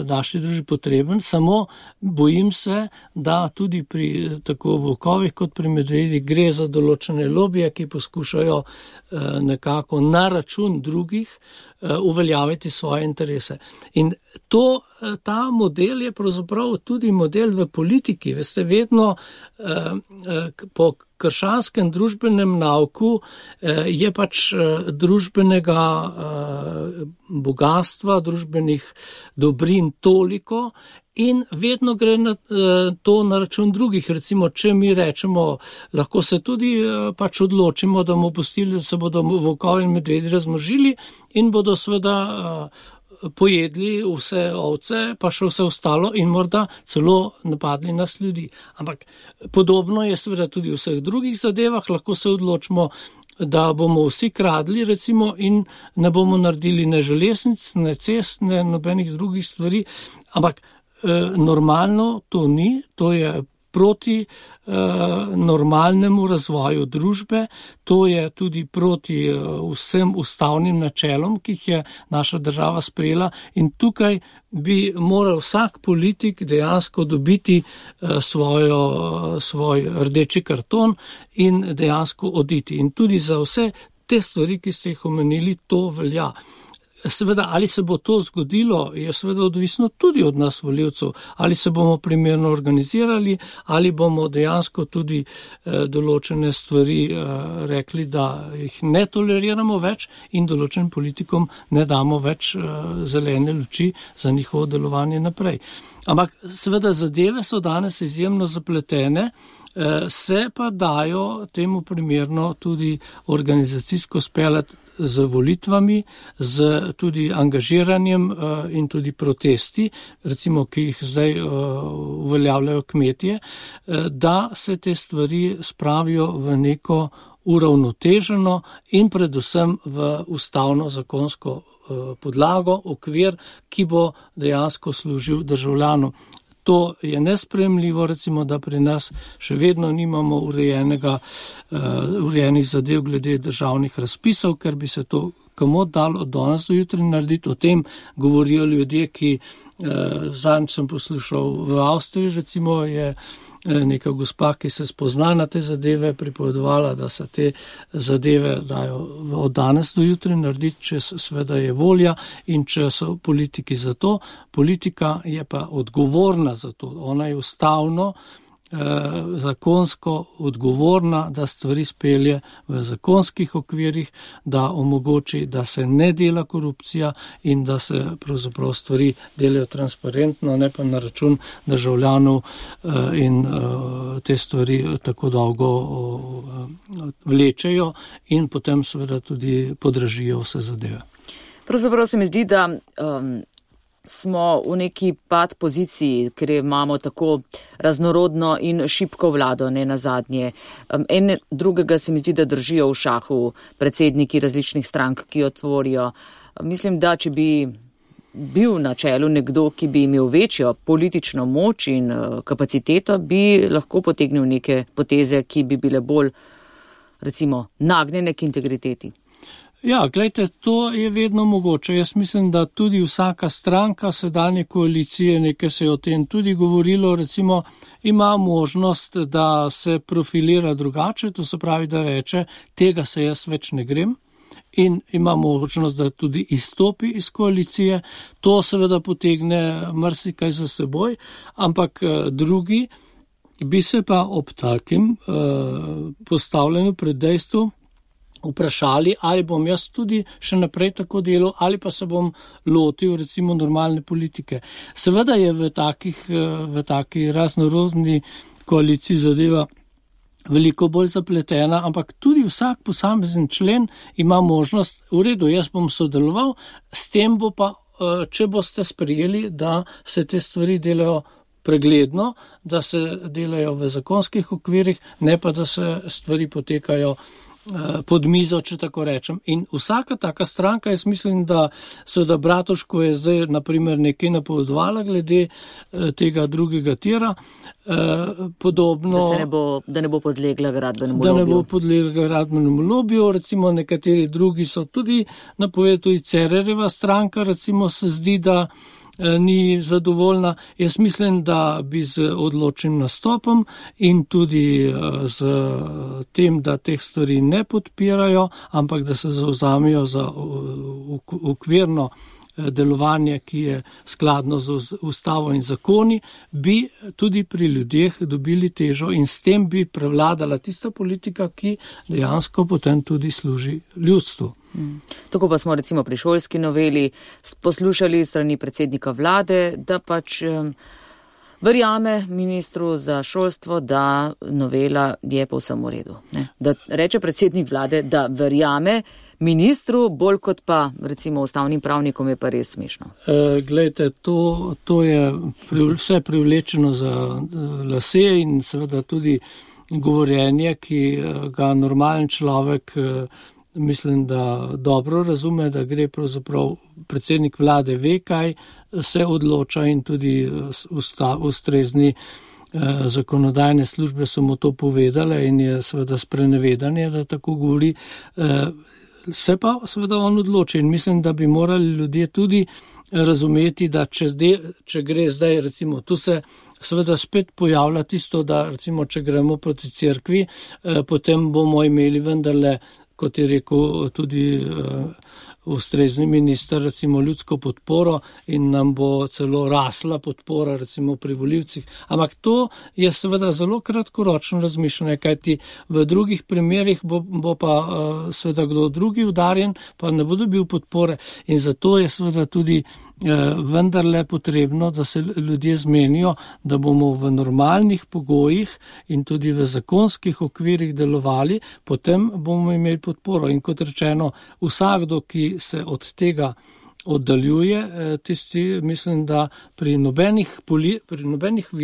naši družbi potreben, samo bojim se, da tudi pri tako volkovih kot pri medvedih gre za določene lobije, ki poskušajo nekako na račun drugih uveljaviti svoje interese. In to, ta model je pravzaprav tudi model v politiki. Veste, vedno po krščanskem družbenem nauku je pač družbenega bogatstva, družbenih dobrin toliko in vedno gre na to na račun drugih. Recimo, če mi rečemo, lahko se tudi pač odločimo, da bomo pustili, da se bodo volkovi in medvedi razmnožili in bodo seveda pojedli vse ovce, pa še vse ostalo in morda celo napadli nas ljudi. Ampak podobno je seveda tudi v vseh drugih zadevah, lahko se odločimo, da bomo vsi kradli recimo in ne bomo naredili ne železnic, ne cest, ne nobenih drugih stvari, ampak eh, normalno to ni, to je proti eh, normalnemu razvoju družbe, to je tudi proti eh, vsem ustavnim načelom, ki jih je naša država sprejela in tukaj bi moral vsak politik dejansko dobiti eh, svojo, svoj rdeči karton in dejansko oditi. In tudi za vse te stvari, ki ste jih omenili, to velja. Seveda, ali se bo to zgodilo, je seveda odvisno tudi od nas volivcev, ali se bomo primerno organizirali, ali bomo dejansko tudi eh, določene stvari eh, rekli, da jih ne toleriramo več in določenim politikom ne damo več eh, zelene luči za njihovo delovanje naprej. Ampak seveda zadeve so danes izjemno zapletene, eh, se pa dajo temu primerno tudi organizacijsko speljati z volitvami, z tudi angažiranjem in tudi protesti, recimo, ki jih zdaj uveljavljajo kmetje, da se te stvari spravijo v neko uravnoteženo in predvsem v ustavno zakonsko podlago, okvir, ki bo dejansko služil državljanu. To je nesprejemljivo, recimo, da pri nas še vedno nimamo urejenega, uh, urejenih zadev glede državnih razpisov, ker bi se to komot dalo od danes do jutri narediti. O tem govorijo ljudje, ki uh, zanj sem poslušal v Avstriji, recimo je neka gospa, ki se spozna na te zadeve, pripovedovala, da se te zadeve dajo od danes do jutri narediti, če seveda je volja in če so politiki za to. Politika je pa odgovorna za to. Ona je ustavno, eh, zakonsko odgovorna, da stvari spelje v zakonskih okvirih, da omogoči, da se ne dela korupcija in da se pravzaprav stvari delajo transparentno, ne pa na račun državljanov eh, in eh, te stvari tako dolgo eh, vlečejo in potem seveda tudi podražijo vse zadeve. Pravzaprav se mi zdi, da um, smo v neki pad poziciji, ker imamo tako raznorodno in šibko vlado, ne nazadnje. Um, en drugega se mi zdi, da držijo v šahu predsedniki različnih strank, ki jo tvorijo. Mislim, da če bi bil na čelu nekdo, ki bi imel večjo politično moč in uh, kapaciteto, bi lahko potegnil neke poteze, ki bi bile bolj, recimo, nagnjene k integriteti. Ja, gledajte, to je vedno mogoče. Jaz mislim, da tudi vsaka stranka sedanje koalicije, nekaj se je o tem tudi govorilo, recimo, ima možnost, da se profilira drugače, to se pravi, da reče, tega se jaz več ne grem. In ima možnost, da tudi izstopi iz koalicije. To seveda potegne marsikaj za seboj, ampak drugi bi se pa ob takim uh, postavljanju pred dejstvom vprašali, ali bom jaz tudi še naprej tako delal, ali pa se bom lotil recimo normalne politike. Seveda je v takih, v taki raznorodni koaliciji zadeva veliko bolj zapletena, ampak tudi vsak posamezen člen ima možnost, v redu, jaz bom sodeloval, s tem bo pa, če boste sprejeli, da se te stvari delajo pregledno, da se delajo v zakonskih okvirih, ne pa da se stvari potekajo pod mizo, če tako rečem. In vsaka taka stranka, jaz mislim, da seveda Bratuško je zdaj naprimer nekaj napovedovala glede tega drugega tira, podobno. Da se ne bo, da ne bo podlegla gradbenemu lobiju. Da ne bo podlegla gradbenemu lobiju, recimo nekateri drugi so tudi napovedali, tudi Cererjeva stranka, recimo se zdi, da ni zadovoljna. Jaz mislim, da bi z odločnim nastopom in tudi z tem, da teh stvari ne podpirajo, ampak da se zauzamijo za okvirno delovanje, ki je skladno z ustavo in zakoni, bi tudi pri ljudeh dobili težo in s tem bi prevladala tista politika, ki dejansko potem tudi služi ljudstvu. Hmm. Tako pa smo recimo pri šolski noveli poslušali strani predsednika vlade, da pač um, verjame ministru za šolstvo, da novela je povsem v redu. Ne? Da reče predsednik vlade, da verjame ministru, bolj kot pa recimo ustavnim pravnikom, je pa res smešno. E, glejte, to, to je pri, vse privlečeno za lase in seveda tudi govorjenje, ki ga normalen človek mislim, da dobro razume, da gre pravzaprav predsednik vlade ve, kaj se odloča in tudi usta, ustrezni eh, zakonodajne službe so mu to povedale in je seveda sprenevedanje, da tako govori. Eh, se pa seveda on odloči in mislim, da bi morali ljudje tudi razumeti, da če, zde, če gre zdaj, recimo, tu se seveda spet pojavlja tisto, da recimo, če gremo proti cerkvi, eh, potem bomo imeli vendarle, kot je rekel tudi uh, ustrezni minister, recimo ljudsko podporo in nam bo celo rasla podpora recimo pri volivcih. Ampak to je seveda zelo kratkoročno razmišljanje, kajti v drugih primerih bo, bo pa uh, seveda kdo drugi udarjen, pa ne bo dobil podpore in zato je seveda tudi uh, vendarle potrebno, da se ljudje zmenijo, da bomo v normalnih pogojih in tudi v zakonskih okvirih delovali, potem bomo imeli podporo. In kot rečeno, vsakdo, ki se od tega oddaljuje, tisti mislim, da pri nobenih, poli, pri nobenih uh,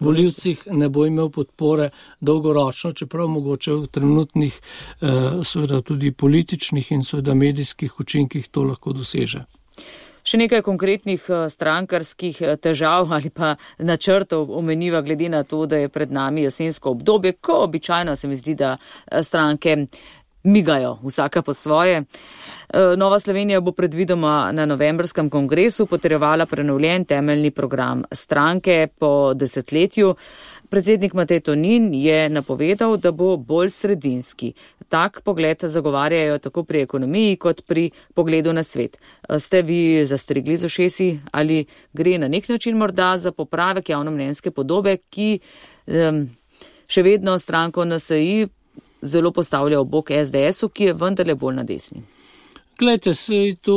volivcih ne bo imel podpore dolgoročno, čeprav mogoče v trenutnih uh, seveda tudi političnih in seveda medijskih učinkih to lahko doseže. Še nekaj konkretnih strankarskih težav ali pa načrtov omeniva glede na to, da je pred nami jesensko obdobje, ko običajno se mi zdi, da stranke migajo vsaka po svoje. Nova Slovenija bo predvidoma na novembrskem kongresu potrjevala prenovljen temeljni program stranke po desetletju. Predsednik Matej Tonin je napovedal, da bo bolj sredinski. Tak pogled zagovarjajo tako pri ekonomiji kot pri pogledu na svet. Ste vi zastrigli z ušesi ali gre na nek način morda za popravek javnomnenjske podobe, ki um, še vedno stranko N S I zelo postavlja v bok S D S-u, ki je vendarle bolj na desni? Glejte, se je to,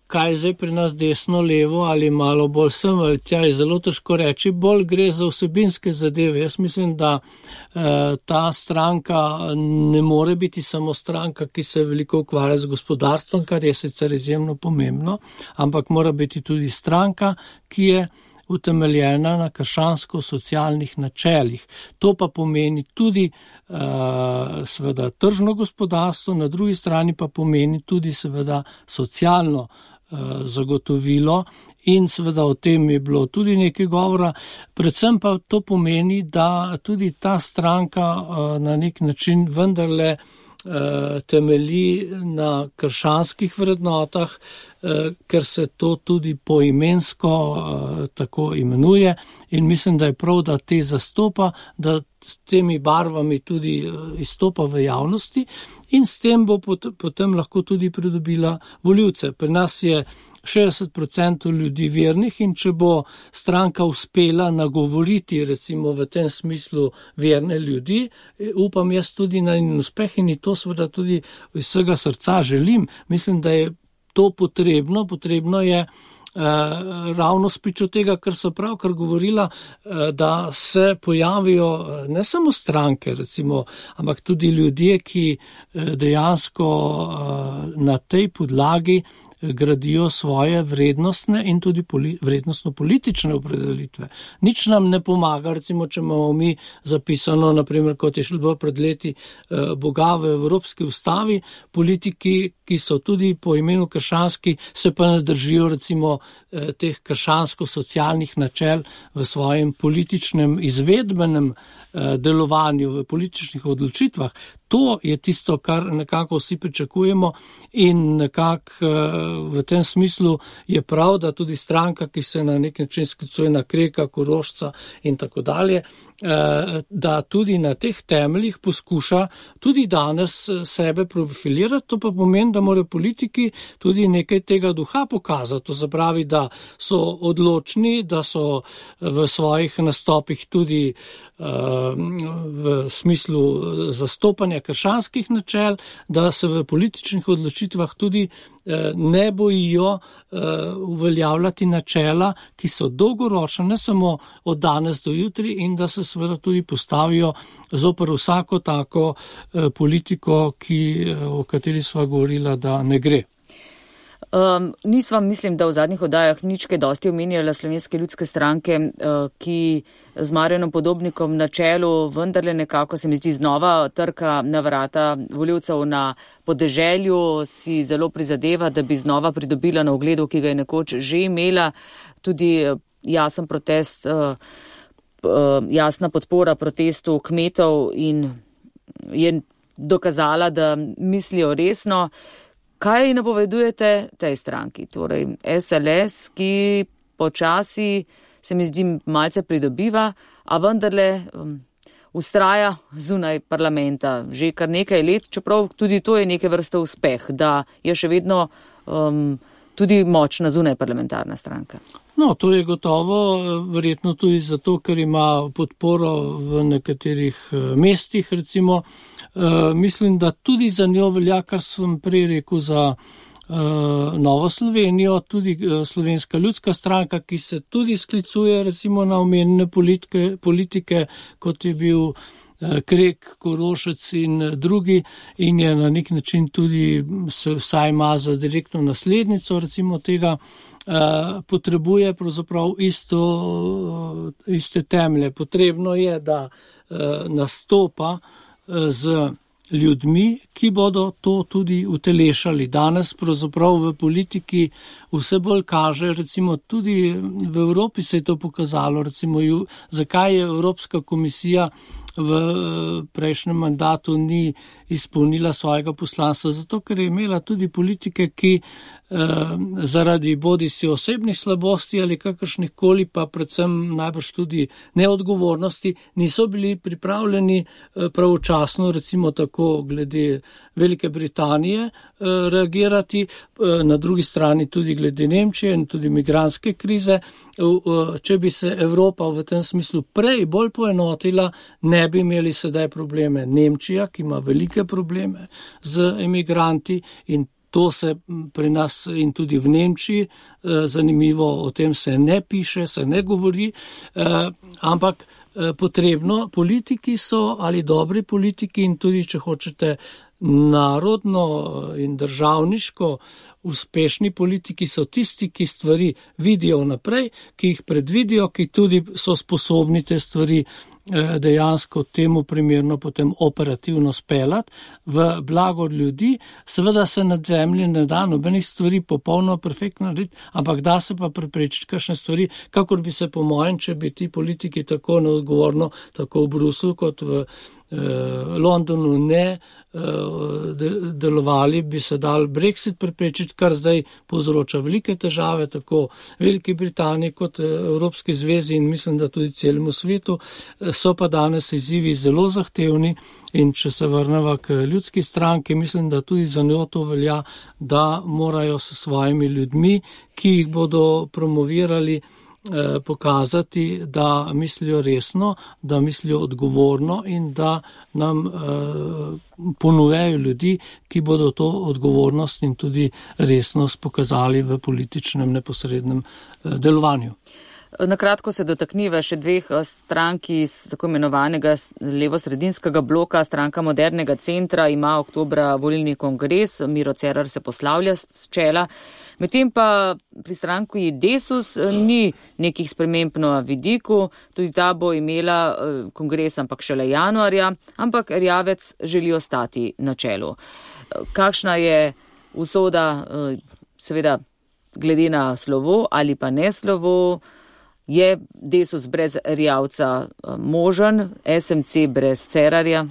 kaj zdaj pri nas desno, levo ali malo bolj sem ali tja, je zelo težko reči, bolj gre za vsebinske zadeve. Jaz mislim, da eh, ta stranka ne more biti samo stranka, ki se veliko ukvarja z gospodarstvom, kar je sicer izjemno pomembno, ampak mora biti tudi stranka, ki je utemeljena na krščansko-socialnih načelih. To pa pomeni tudi uh, seveda tržno gospodarstvo, na drugi strani pa pomeni tudi seveda socialno uh, zagotovilo in seveda o tem je bilo tudi nekaj govora. Predvsem pa to pomeni, da tudi ta stranka uh, na nek način vendarle uh, temelji na krščanskih vrednotah, ker se to tudi poimensko uh, tako imenuje in mislim, da je prav, da te zastopa, da s temi barvami tudi uh, izstopa v javnosti in s tem bo pot, potem lahko tudi pridobila volivce. Pri nas je šestdeset procentov ljudi vernih in če bo stranka uspela nagovoriti recimo v tem smislu verne ljudi, upam jaz tudi na njen uspeh in to seveda tudi iz vsega srca želim. Mislim, da je to potrebno, potrebno je ravno spričo tega, kar so pravkar govorila, da se pojavijo ne samo stranke, recimo, ampak tudi ljudje, ki dejansko na tej podlagi gradijo svoje vrednostne in tudi poli, vrednostno-politične opredelitve. Nič nam ne pomaga, recimo, če imamo mi zapisano, naprimer, kot je šlo pred leti, Boga v Evropski ustavi, politiki, ki so tudi po imenu krščanski, se pa ne držijo, recimo, teh krščansko-socialnih načel v svojem političnem izvedbenem delovanju, v političnih odločitvah. To je tisto, kar nekako vsi pričakujemo in nekako v tem smislu je prav, da tudi stranka, ki se na nek način sklicuje na Kreka, Korošca in tako dalje, da tudi na teh temeljih poskuša tudi danes sebe profilirati. To pa pomeni, da morajo politiki tudi nekaj tega duha pokazati. To zapravi, da so odločni, da so v svojih nastopih tudi v smislu zastopanja krščanskih načel, da se v političnih odločitvah tudi ne bojijo uveljavljati načela, ki so dolgoročne, ne samo od danes do jutri, in da se seveda tudi postavijo zoper vsako tako politiko, ki, o kateri sva govorila, da ne gre. Um, nisva, mislim, da v zadnjih oddajah nič kaj dosti omenjala Slovenske ljudske stranke, uh, ki z Marjanom Podobnikom na čelu vendarle nekako se mi zdi znova trka na vrata volivcev na podeželju, si zelo prizadeva, da bi znova pridobila na ugledu, ki ga je nekoč že imela, tudi jasen protest, uh, uh, jasna podpora protestu kmetov in je dokazala, da mislijo resno. Kaj napovedujete tej stranki, torej S L S, ki počasi se mi zdi malce pridobiva, a vendarle um, ustraja zunaj parlamenta že kar nekaj let, čeprav tudi to je neke vrste uspeh, da je še vedno um, tudi močna zunaj parlamentarna stranka. No, to je gotovo, verjetno tudi zato, ker ima podporo v nekaterih mestih, recimo. Uh, mislim, da tudi za njo velja, kar sem prej rekel, za uh, Novo Slovenijo, tudi uh, Slovenska ljudska stranka, ki se tudi sklicuje recimo na omenjene politike, politike, kot je bil uh, Krek, Korošec in drugi, in je na nek način tudi se vsaj ima za direktno naslednico recimo tega, uh, potrebuje pravzaprav isto, uh, iste temelje. Potrebno je, da uh, nastopa z ljudmi, ki bodo to tudi utelešali. Danes pravzaprav v politiki vse bolj kaže, recimo tudi v Evropi se je to pokazalo, recimo zakaj je Evropska komisija v prejšnjem mandatu ni izpolnila svojega poslanstva, zato ker je imela tudi politike, ki eh, zaradi bodisi osebnih slabosti ali kakršnih koli, pa predvsem najbrž tudi neodgovornosti, niso bili pripravljeni eh, pravočasno, recimo tako glede Velike Britanije eh, reagirati, eh, na drugi strani tudi glede Nemčije in tudi migrantske krize. Eh, če bi se Evropa v tem smislu prej bolj poenotila, ne bi imeli sedaj probleme. Nemčija, ki ima velike probleme z emigranti, in to se pri nas in tudi v Nemčiji, zanimivo, o tem se ne piše, se ne govori, ampak potrebno, politiki so ali dobri politiki in tudi, če hočete, narodno in državniško uspešni politiki so tisti, ki stvari vidijo naprej, ki jih predvidijo, ki tudi so sposobni te stvari dejansko temu primerno potem operativno speljati v blago ljudi. Seveda se na zemlji ne da nobenih stvari popolno perfektno narediti, ampak da se pa preprečiti kakšne stvari, kakor bi se po mojem, če bi ti politiki tako neodgovorno, tako v Bruslju kot v eh, Londonu ne eh, delovali, bi se dal Brexit preprečiti, kar zdaj povzroča velike težave, tako Veliki Britaniji kot Evropski zvezi in mislim, da tudi celemu svetu. So pa danes izzivi zelo zahtevni in če se vrneva k ljudski stranki, mislim, da tudi za njo to velja, da morajo s svojimi ljudmi, ki jih bodo promovirali, pokazati, da mislijo resno, da mislijo odgovorno in da nam eh, ponujajo ljudi, ki bodo to odgovornost in tudi resnost pokazali v političnem neposrednem eh, delovanju. Na kratko se dotakniva še dveh strank iz tako imenovanega levo-sredinskega bloka. Stranka Modernega centra ima oktobra volilni kongres, Miro Cerar se poslavlja s čela. Medtem pa pri stranki Desus ni nekih sprememb na vidiku, tudi ta bo imela kongres, ampak šele januarja, ampak Erjavec želi ostati na čelu. Kakšna je usoda, seveda glede na slovo ali pa ne slovo? Je Desus brez Erjavca možen, S M C brez Cerarja?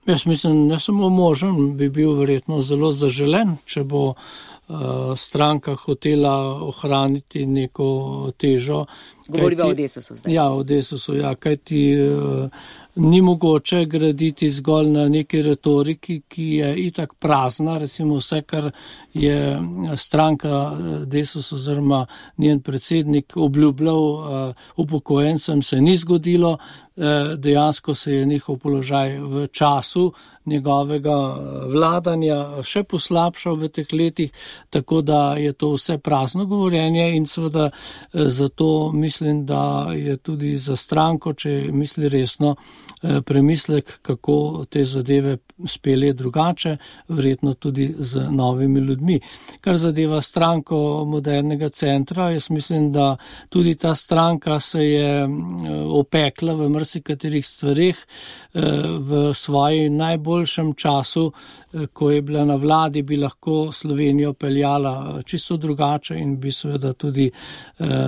Jaz mislim, ne samo možen, bi bil verjetno zelo zaželen, če bo uh, stranka hotela ohraniti neko težo. Govoriva o Desusu zdaj. Ja, o Desusu, ja, kajti uh, ni mogoče graditi zgolj na neki retoriki, ki je itak prazna, recimo vse, kar je stranka Desus oziroma njen predsednik obljubljal uh, upokojencem, se ni zgodilo, uh, dejansko se je njihov položaj v času njegovega vladanja še poslabšal v teh letih, tako da je to vse prazno govorjenje in seveda zato mislim, da je tudi za stranko, če misli resno, premislek, kako te zadeve spelje drugače, verjetno tudi z novimi ljudmi. Kar zadeva stranko Modernega centra, jaz mislim, da tudi ta stranka se je opekla v marsikaterih stvareh v svoji najboljšem času, ko je bila na vladi, bi lahko Slovenijo peljala čisto drugače in bi seveda tudi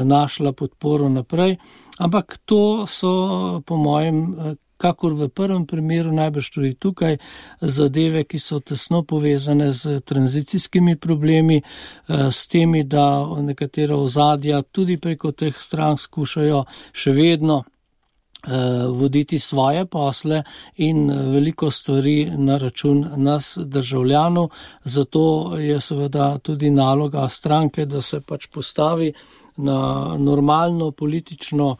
našla podporo naprej. Ampak to so po mojem, kakor v prvem primeru, najbrž tudi tukaj, zadeve, ki so tesno povezane z tranzicijskimi problemi, s temi, da nekatera ozadja tudi preko teh strank skušajo še vedno voditi svoje posle in veliko stvari na račun nas državljanov. Zato je seveda tudi naloga stranke, da se pač postavi na normalno politično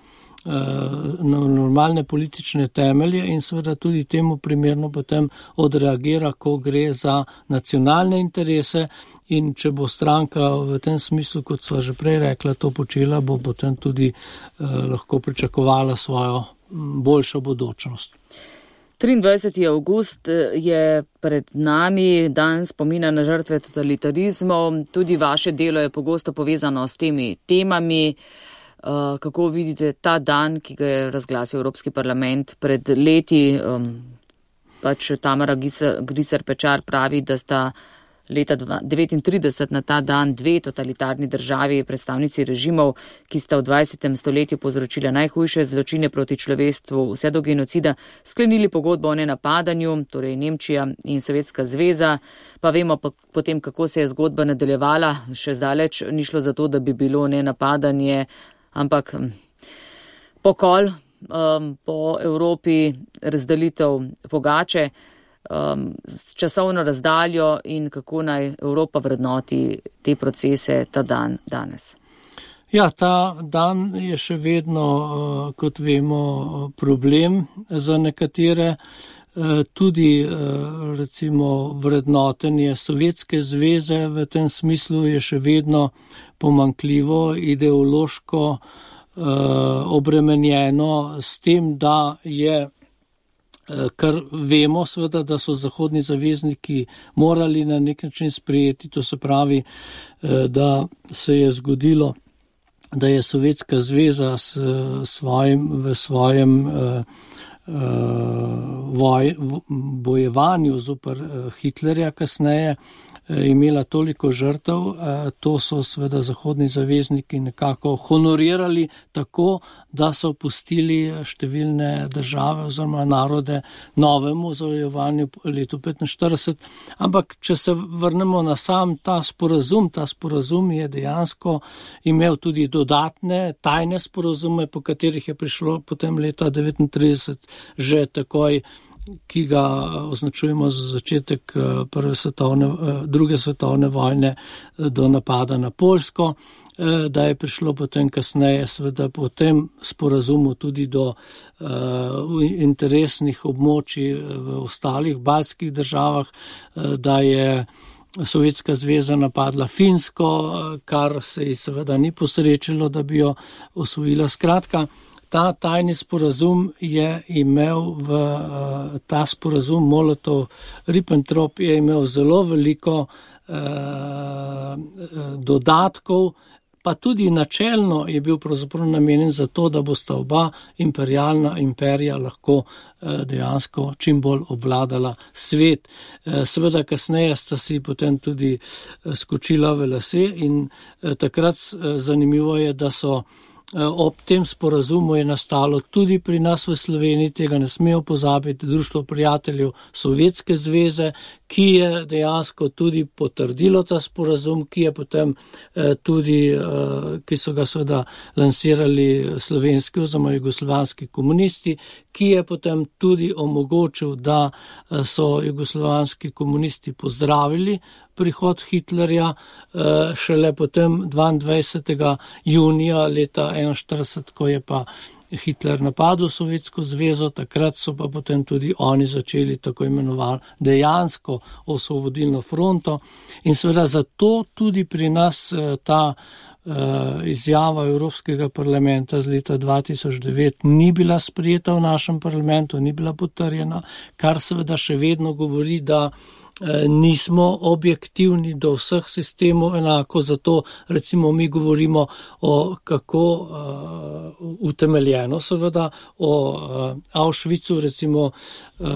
na normalne politične temelje in seveda tudi temu primerno potem odreagira, ko gre za nacionalne interese in če bo stranka v tem smislu, kot sva že prej rekla, to počela, bo potem tudi eh, lahko pričakovala svojo boljšo bodočnost. triindvajseti avgust je pred nami, dan spomina na žrtve totalitarizmov. Tudi vaše delo je pogosto povezano s temi temami. Uh, kako vidite ta dan, ki ga je razglasil Evropski parlament pred leti? Um, pač Tamara Griser-Pečar pravi, da sta leta devetintrideset na ta dan dve totalitarni državi, predstavnici režimov, ki sta v dvajsetem stoletju povzročila najhujše zločine proti človeštvu, vse do genocida, sklenili pogodbo o nenapadanju, torej Nemčija in Sovjetska zveza. Pa vemo pa potem, kako se je zgodba nadaljevala, še zdaleč ni šlo za to, da bi bilo nenapadanje, ampak pokol um, po Evropi, razdelitev pogače, um, s časovno razdaljo in kako naj Evropa vrednoti te procese ta dan danes. Ja, ta dan je še vedno, kot vemo, problem za nekatere. Tudi recimo vrednotenje Sovjetske zveze v tem smislu je še vedno pomanjkljivo, ideološko obremenjeno s tem, da je, kar vemo seveda, da so zahodni zavezniki morali na nek način sprejeti, to se pravi, da se je zgodilo, da je Sovjetska zveza s svojim, v svojem Voj, bojevanju zoper Hitlerja kasneje imela toliko žrtev, to so seveda zahodni zavezniki nekako honorirali tako, da so pustili številne države oziroma narode novemu zavojevanju letu petinštirideset. Ampak, če se vrnemo na sam ta sporazum, ta sporazum je dejansko imel tudi dodatne tajne sporazume, po katerih je prišlo potem leta devetintrideset že takoj, ki ga označujemo za začetek prve svetovne, druge svetovne vojne do napada na Poljsko, da je prišlo potem kasneje seveda po tem sporazumu tudi do uh, interesnih območij v ostalih baltskih državah, uh, da je Sovjetska zveza napadla Finsko, kar se ji seveda ni posrečilo, da bi jo osvojila. Skratka, ta tajni sporazum je imel v uh, ta sporazum Molotov-Ribbentrop je imel zelo veliko uh, dodatkov, pa tudi načelno je bil pravzaprav namenjen za to, da bosta oba imperialna imperija lahko dejansko čim bolj obvladala svet. Seveda kasneje sta si potem tudi skočila v lase in takrat zanimivo je, da so ob tem sporazumu je nastalo tudi pri nas v Sloveniji, tega ne smejo pozabiti, Društvo prijateljev Sovjetske zveze, ki je dejansko tudi potrdilo ta sporazum, ki je potem tudi, ki so ga seveda lansirali slovenski oziroma jugoslovanski komunisti, ki je potem tudi omogočil, da so jugoslovanski komunisti pozdravili prihod Hitlerja, šele potem dvaindvajsetega junija leta enainštirideset, ko je pa Hitler napadel Sovjetsko zvezo, takrat so pa potem tudi oni začeli tako imenovano dejansko osvobodilno fronto in seveda zato tudi pri nas ta izjava Evropskega parlamenta z leta dva tisoč devet ni bila sprejeta v našem parlamentu, ni bila potrjena, kar seveda še vedno govori, da nismo objektivni do vseh sistemov enako, zato recimo mi govorimo o kako uh, utemeljeno seveda o uh, Auschwitzu, recimo uh,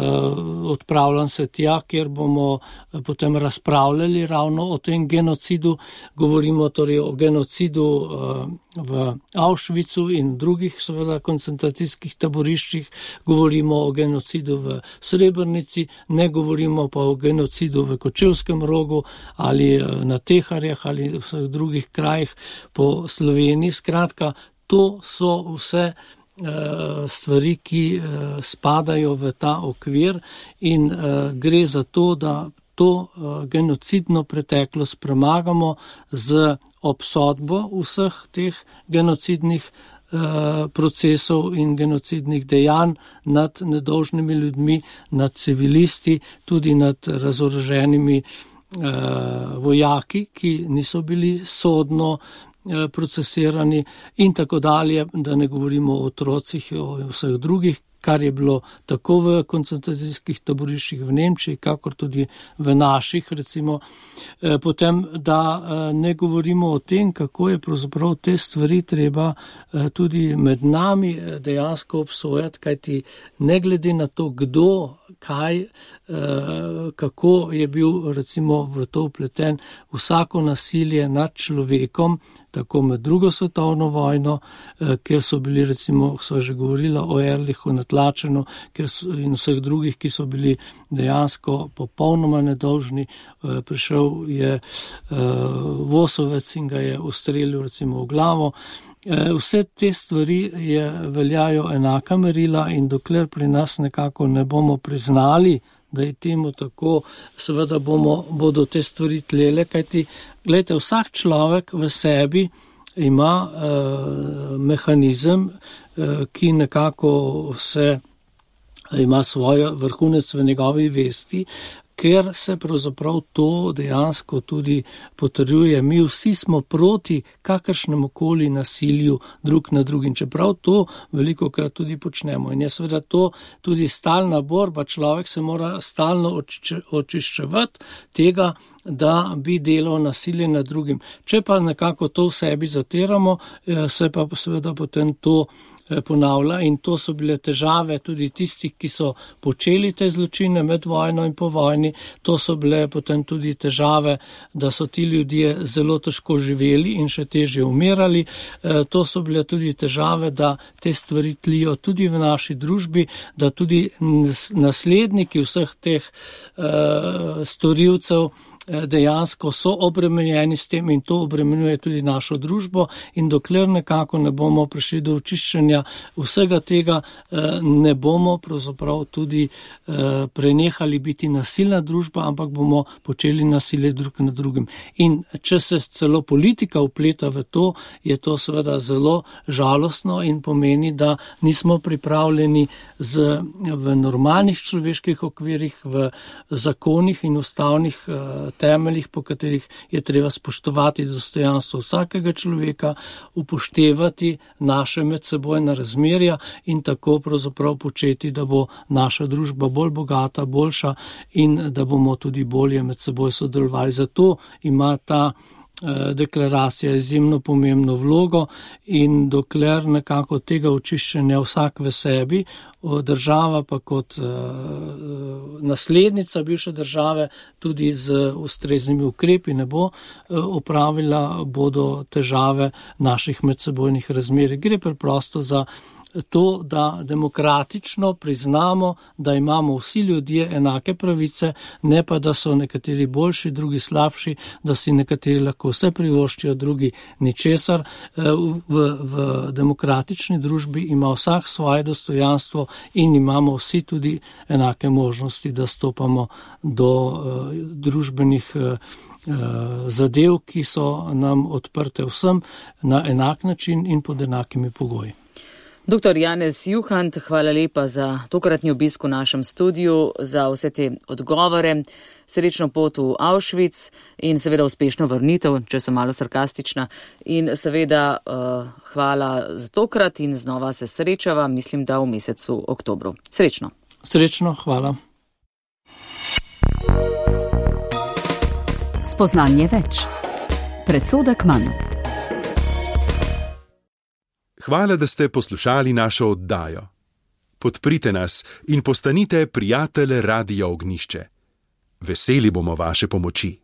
odpravljam se tja, kjer bomo uh, potem razpravljali ravno o tem genocidu, govorimo torej o genocidu uh, v Auschwitzu in drugih seveda koncentracijskih taboriščih, govorimo o genocidu v Srebrnici, ne govorimo pa o genocidu v Kočevskem rogu ali na Teharjah ali v vseh drugih krajih po Sloveniji. Skratka, to so vse stvari, ki spadajo v ta okvir in gre za to, da to genocidno preteklost premagamo z obsodbo vseh teh genocidnih procesov in genocidnih dejanj nad nedolžnimi ljudmi, nad civilisti, tudi nad razoroženimi vojaki, ki niso bili sodno procesirani in tako dalje, da ne govorimo o otrocih, o vseh drugih, kar je bilo tako v koncentracijskih taboriščih v Nemčiji, kakor tudi v naših, recimo. Potem, da ne govorimo o tem, kako je pravzaprav te stvari treba tudi med nami dejansko obsojati, kajti ne glede na to, kdo, kaj, kako je bil recimo v to vpleten, vsako nasilje nad človekom, tako med drugo svetovno vojno, kjer so bili recimo, so že govorila o Erlichu na Tlačenu in vseh drugih, ki so bili dejansko popolnoma nedolžni. Prišel je Vosovec in ga je ustrelil recimo v glavo. Vse te stvari je, veljajo enaka merila in dokler pri nas nekako ne bomo priznali, da je temu tako, seveda bomo, bodo te stvari tlele, kajti, gledajte, vsak človek v sebi ima uh, mehanizem, uh, ki nekako se ima svoj vrhunec v njegovi vesti, ker se pravzaprav to dejansko tudi potrjuje. Mi vsi smo proti kakršnemu koli nasilju drug na drugim, čeprav to veliko krat tudi počnemo. In je seveda to tudi stalna borba, človek se mora stalno očiščevati tega, da bi delal nasilje nad drugim. Če pa nekako to v sebi zatiramo, se pa seveda potem to ponavlja in to so bile težave tudi tistih, ki so počeli te zločine med vojno in po vojni. To so bile potem tudi težave, da so ti ljudje zelo težko živeli in še težje umirali. To so bile tudi težave, da te stvari tlijo tudi v naši družbi, da tudi nasledniki vseh teh uh, storilcev dejansko so obremenjeni s tem in to obremenjuje tudi našo družbo in dokler nekako ne bomo prišli do očiščenja vsega tega, ne bomo pravzaprav tudi prenehali biti nasilna družba, ampak bomo počeli nasilje drug nad drugim. In če se celo politika vpleta v to, je to seveda zelo žalostno in pomeni, da nismo pripravljeni z, v normalnih človeških okvirih, v zakonih in ustavnih temeljih, po katerih je treba spoštovati dostojanstvo vsakega človeka, upoštevati naše medsebojna razmerja in tako pravzaprav početi, da bo naša družba bolj bogata, boljša in da bomo tudi bolje med seboj sodelovali. Zato ima ta deklaracija izjemno pomembno vlogo in dokler nekako tega očiščenja vsak v sebi, država pa kot naslednica bivše države tudi z ustreznimi ukrepi ne bo opravila, bodo težave naših medsebojnih razmerij. Gre preprosto za to, da demokratično priznamo, da imamo vsi ljudje enake pravice, ne pa da so nekateri boljši, drugi slabši, da si nekateri lahko vse privoščijo, drugi ničesar. V, v demokratični družbi ima vsak svoje dostojanstvo in imamo vsi tudi enake možnosti, da stopamo do uh, družbenih uh, zadev, ki so nam odprte vsem na enak način in pod enakimi pogoji. Doktor Janez Juhant, hvala lepa za tokratni obisk v našem studiu, za vse te odgovore. Srečno pot v Auschwitz in seveda uspešno vrnitev, če sem malo sarkastična. In seveda uh, hvala za tokrat in znova se srečava, mislim, da v mesecu oktobru. Srečno. Srečno, hvala. Spoznanje več. Predsodek manj. Hvala, da ste poslušali našo oddajo. Podprite nas in postanite prijatelj Radia Ognjišče. Veseli bomo vaše pomoči.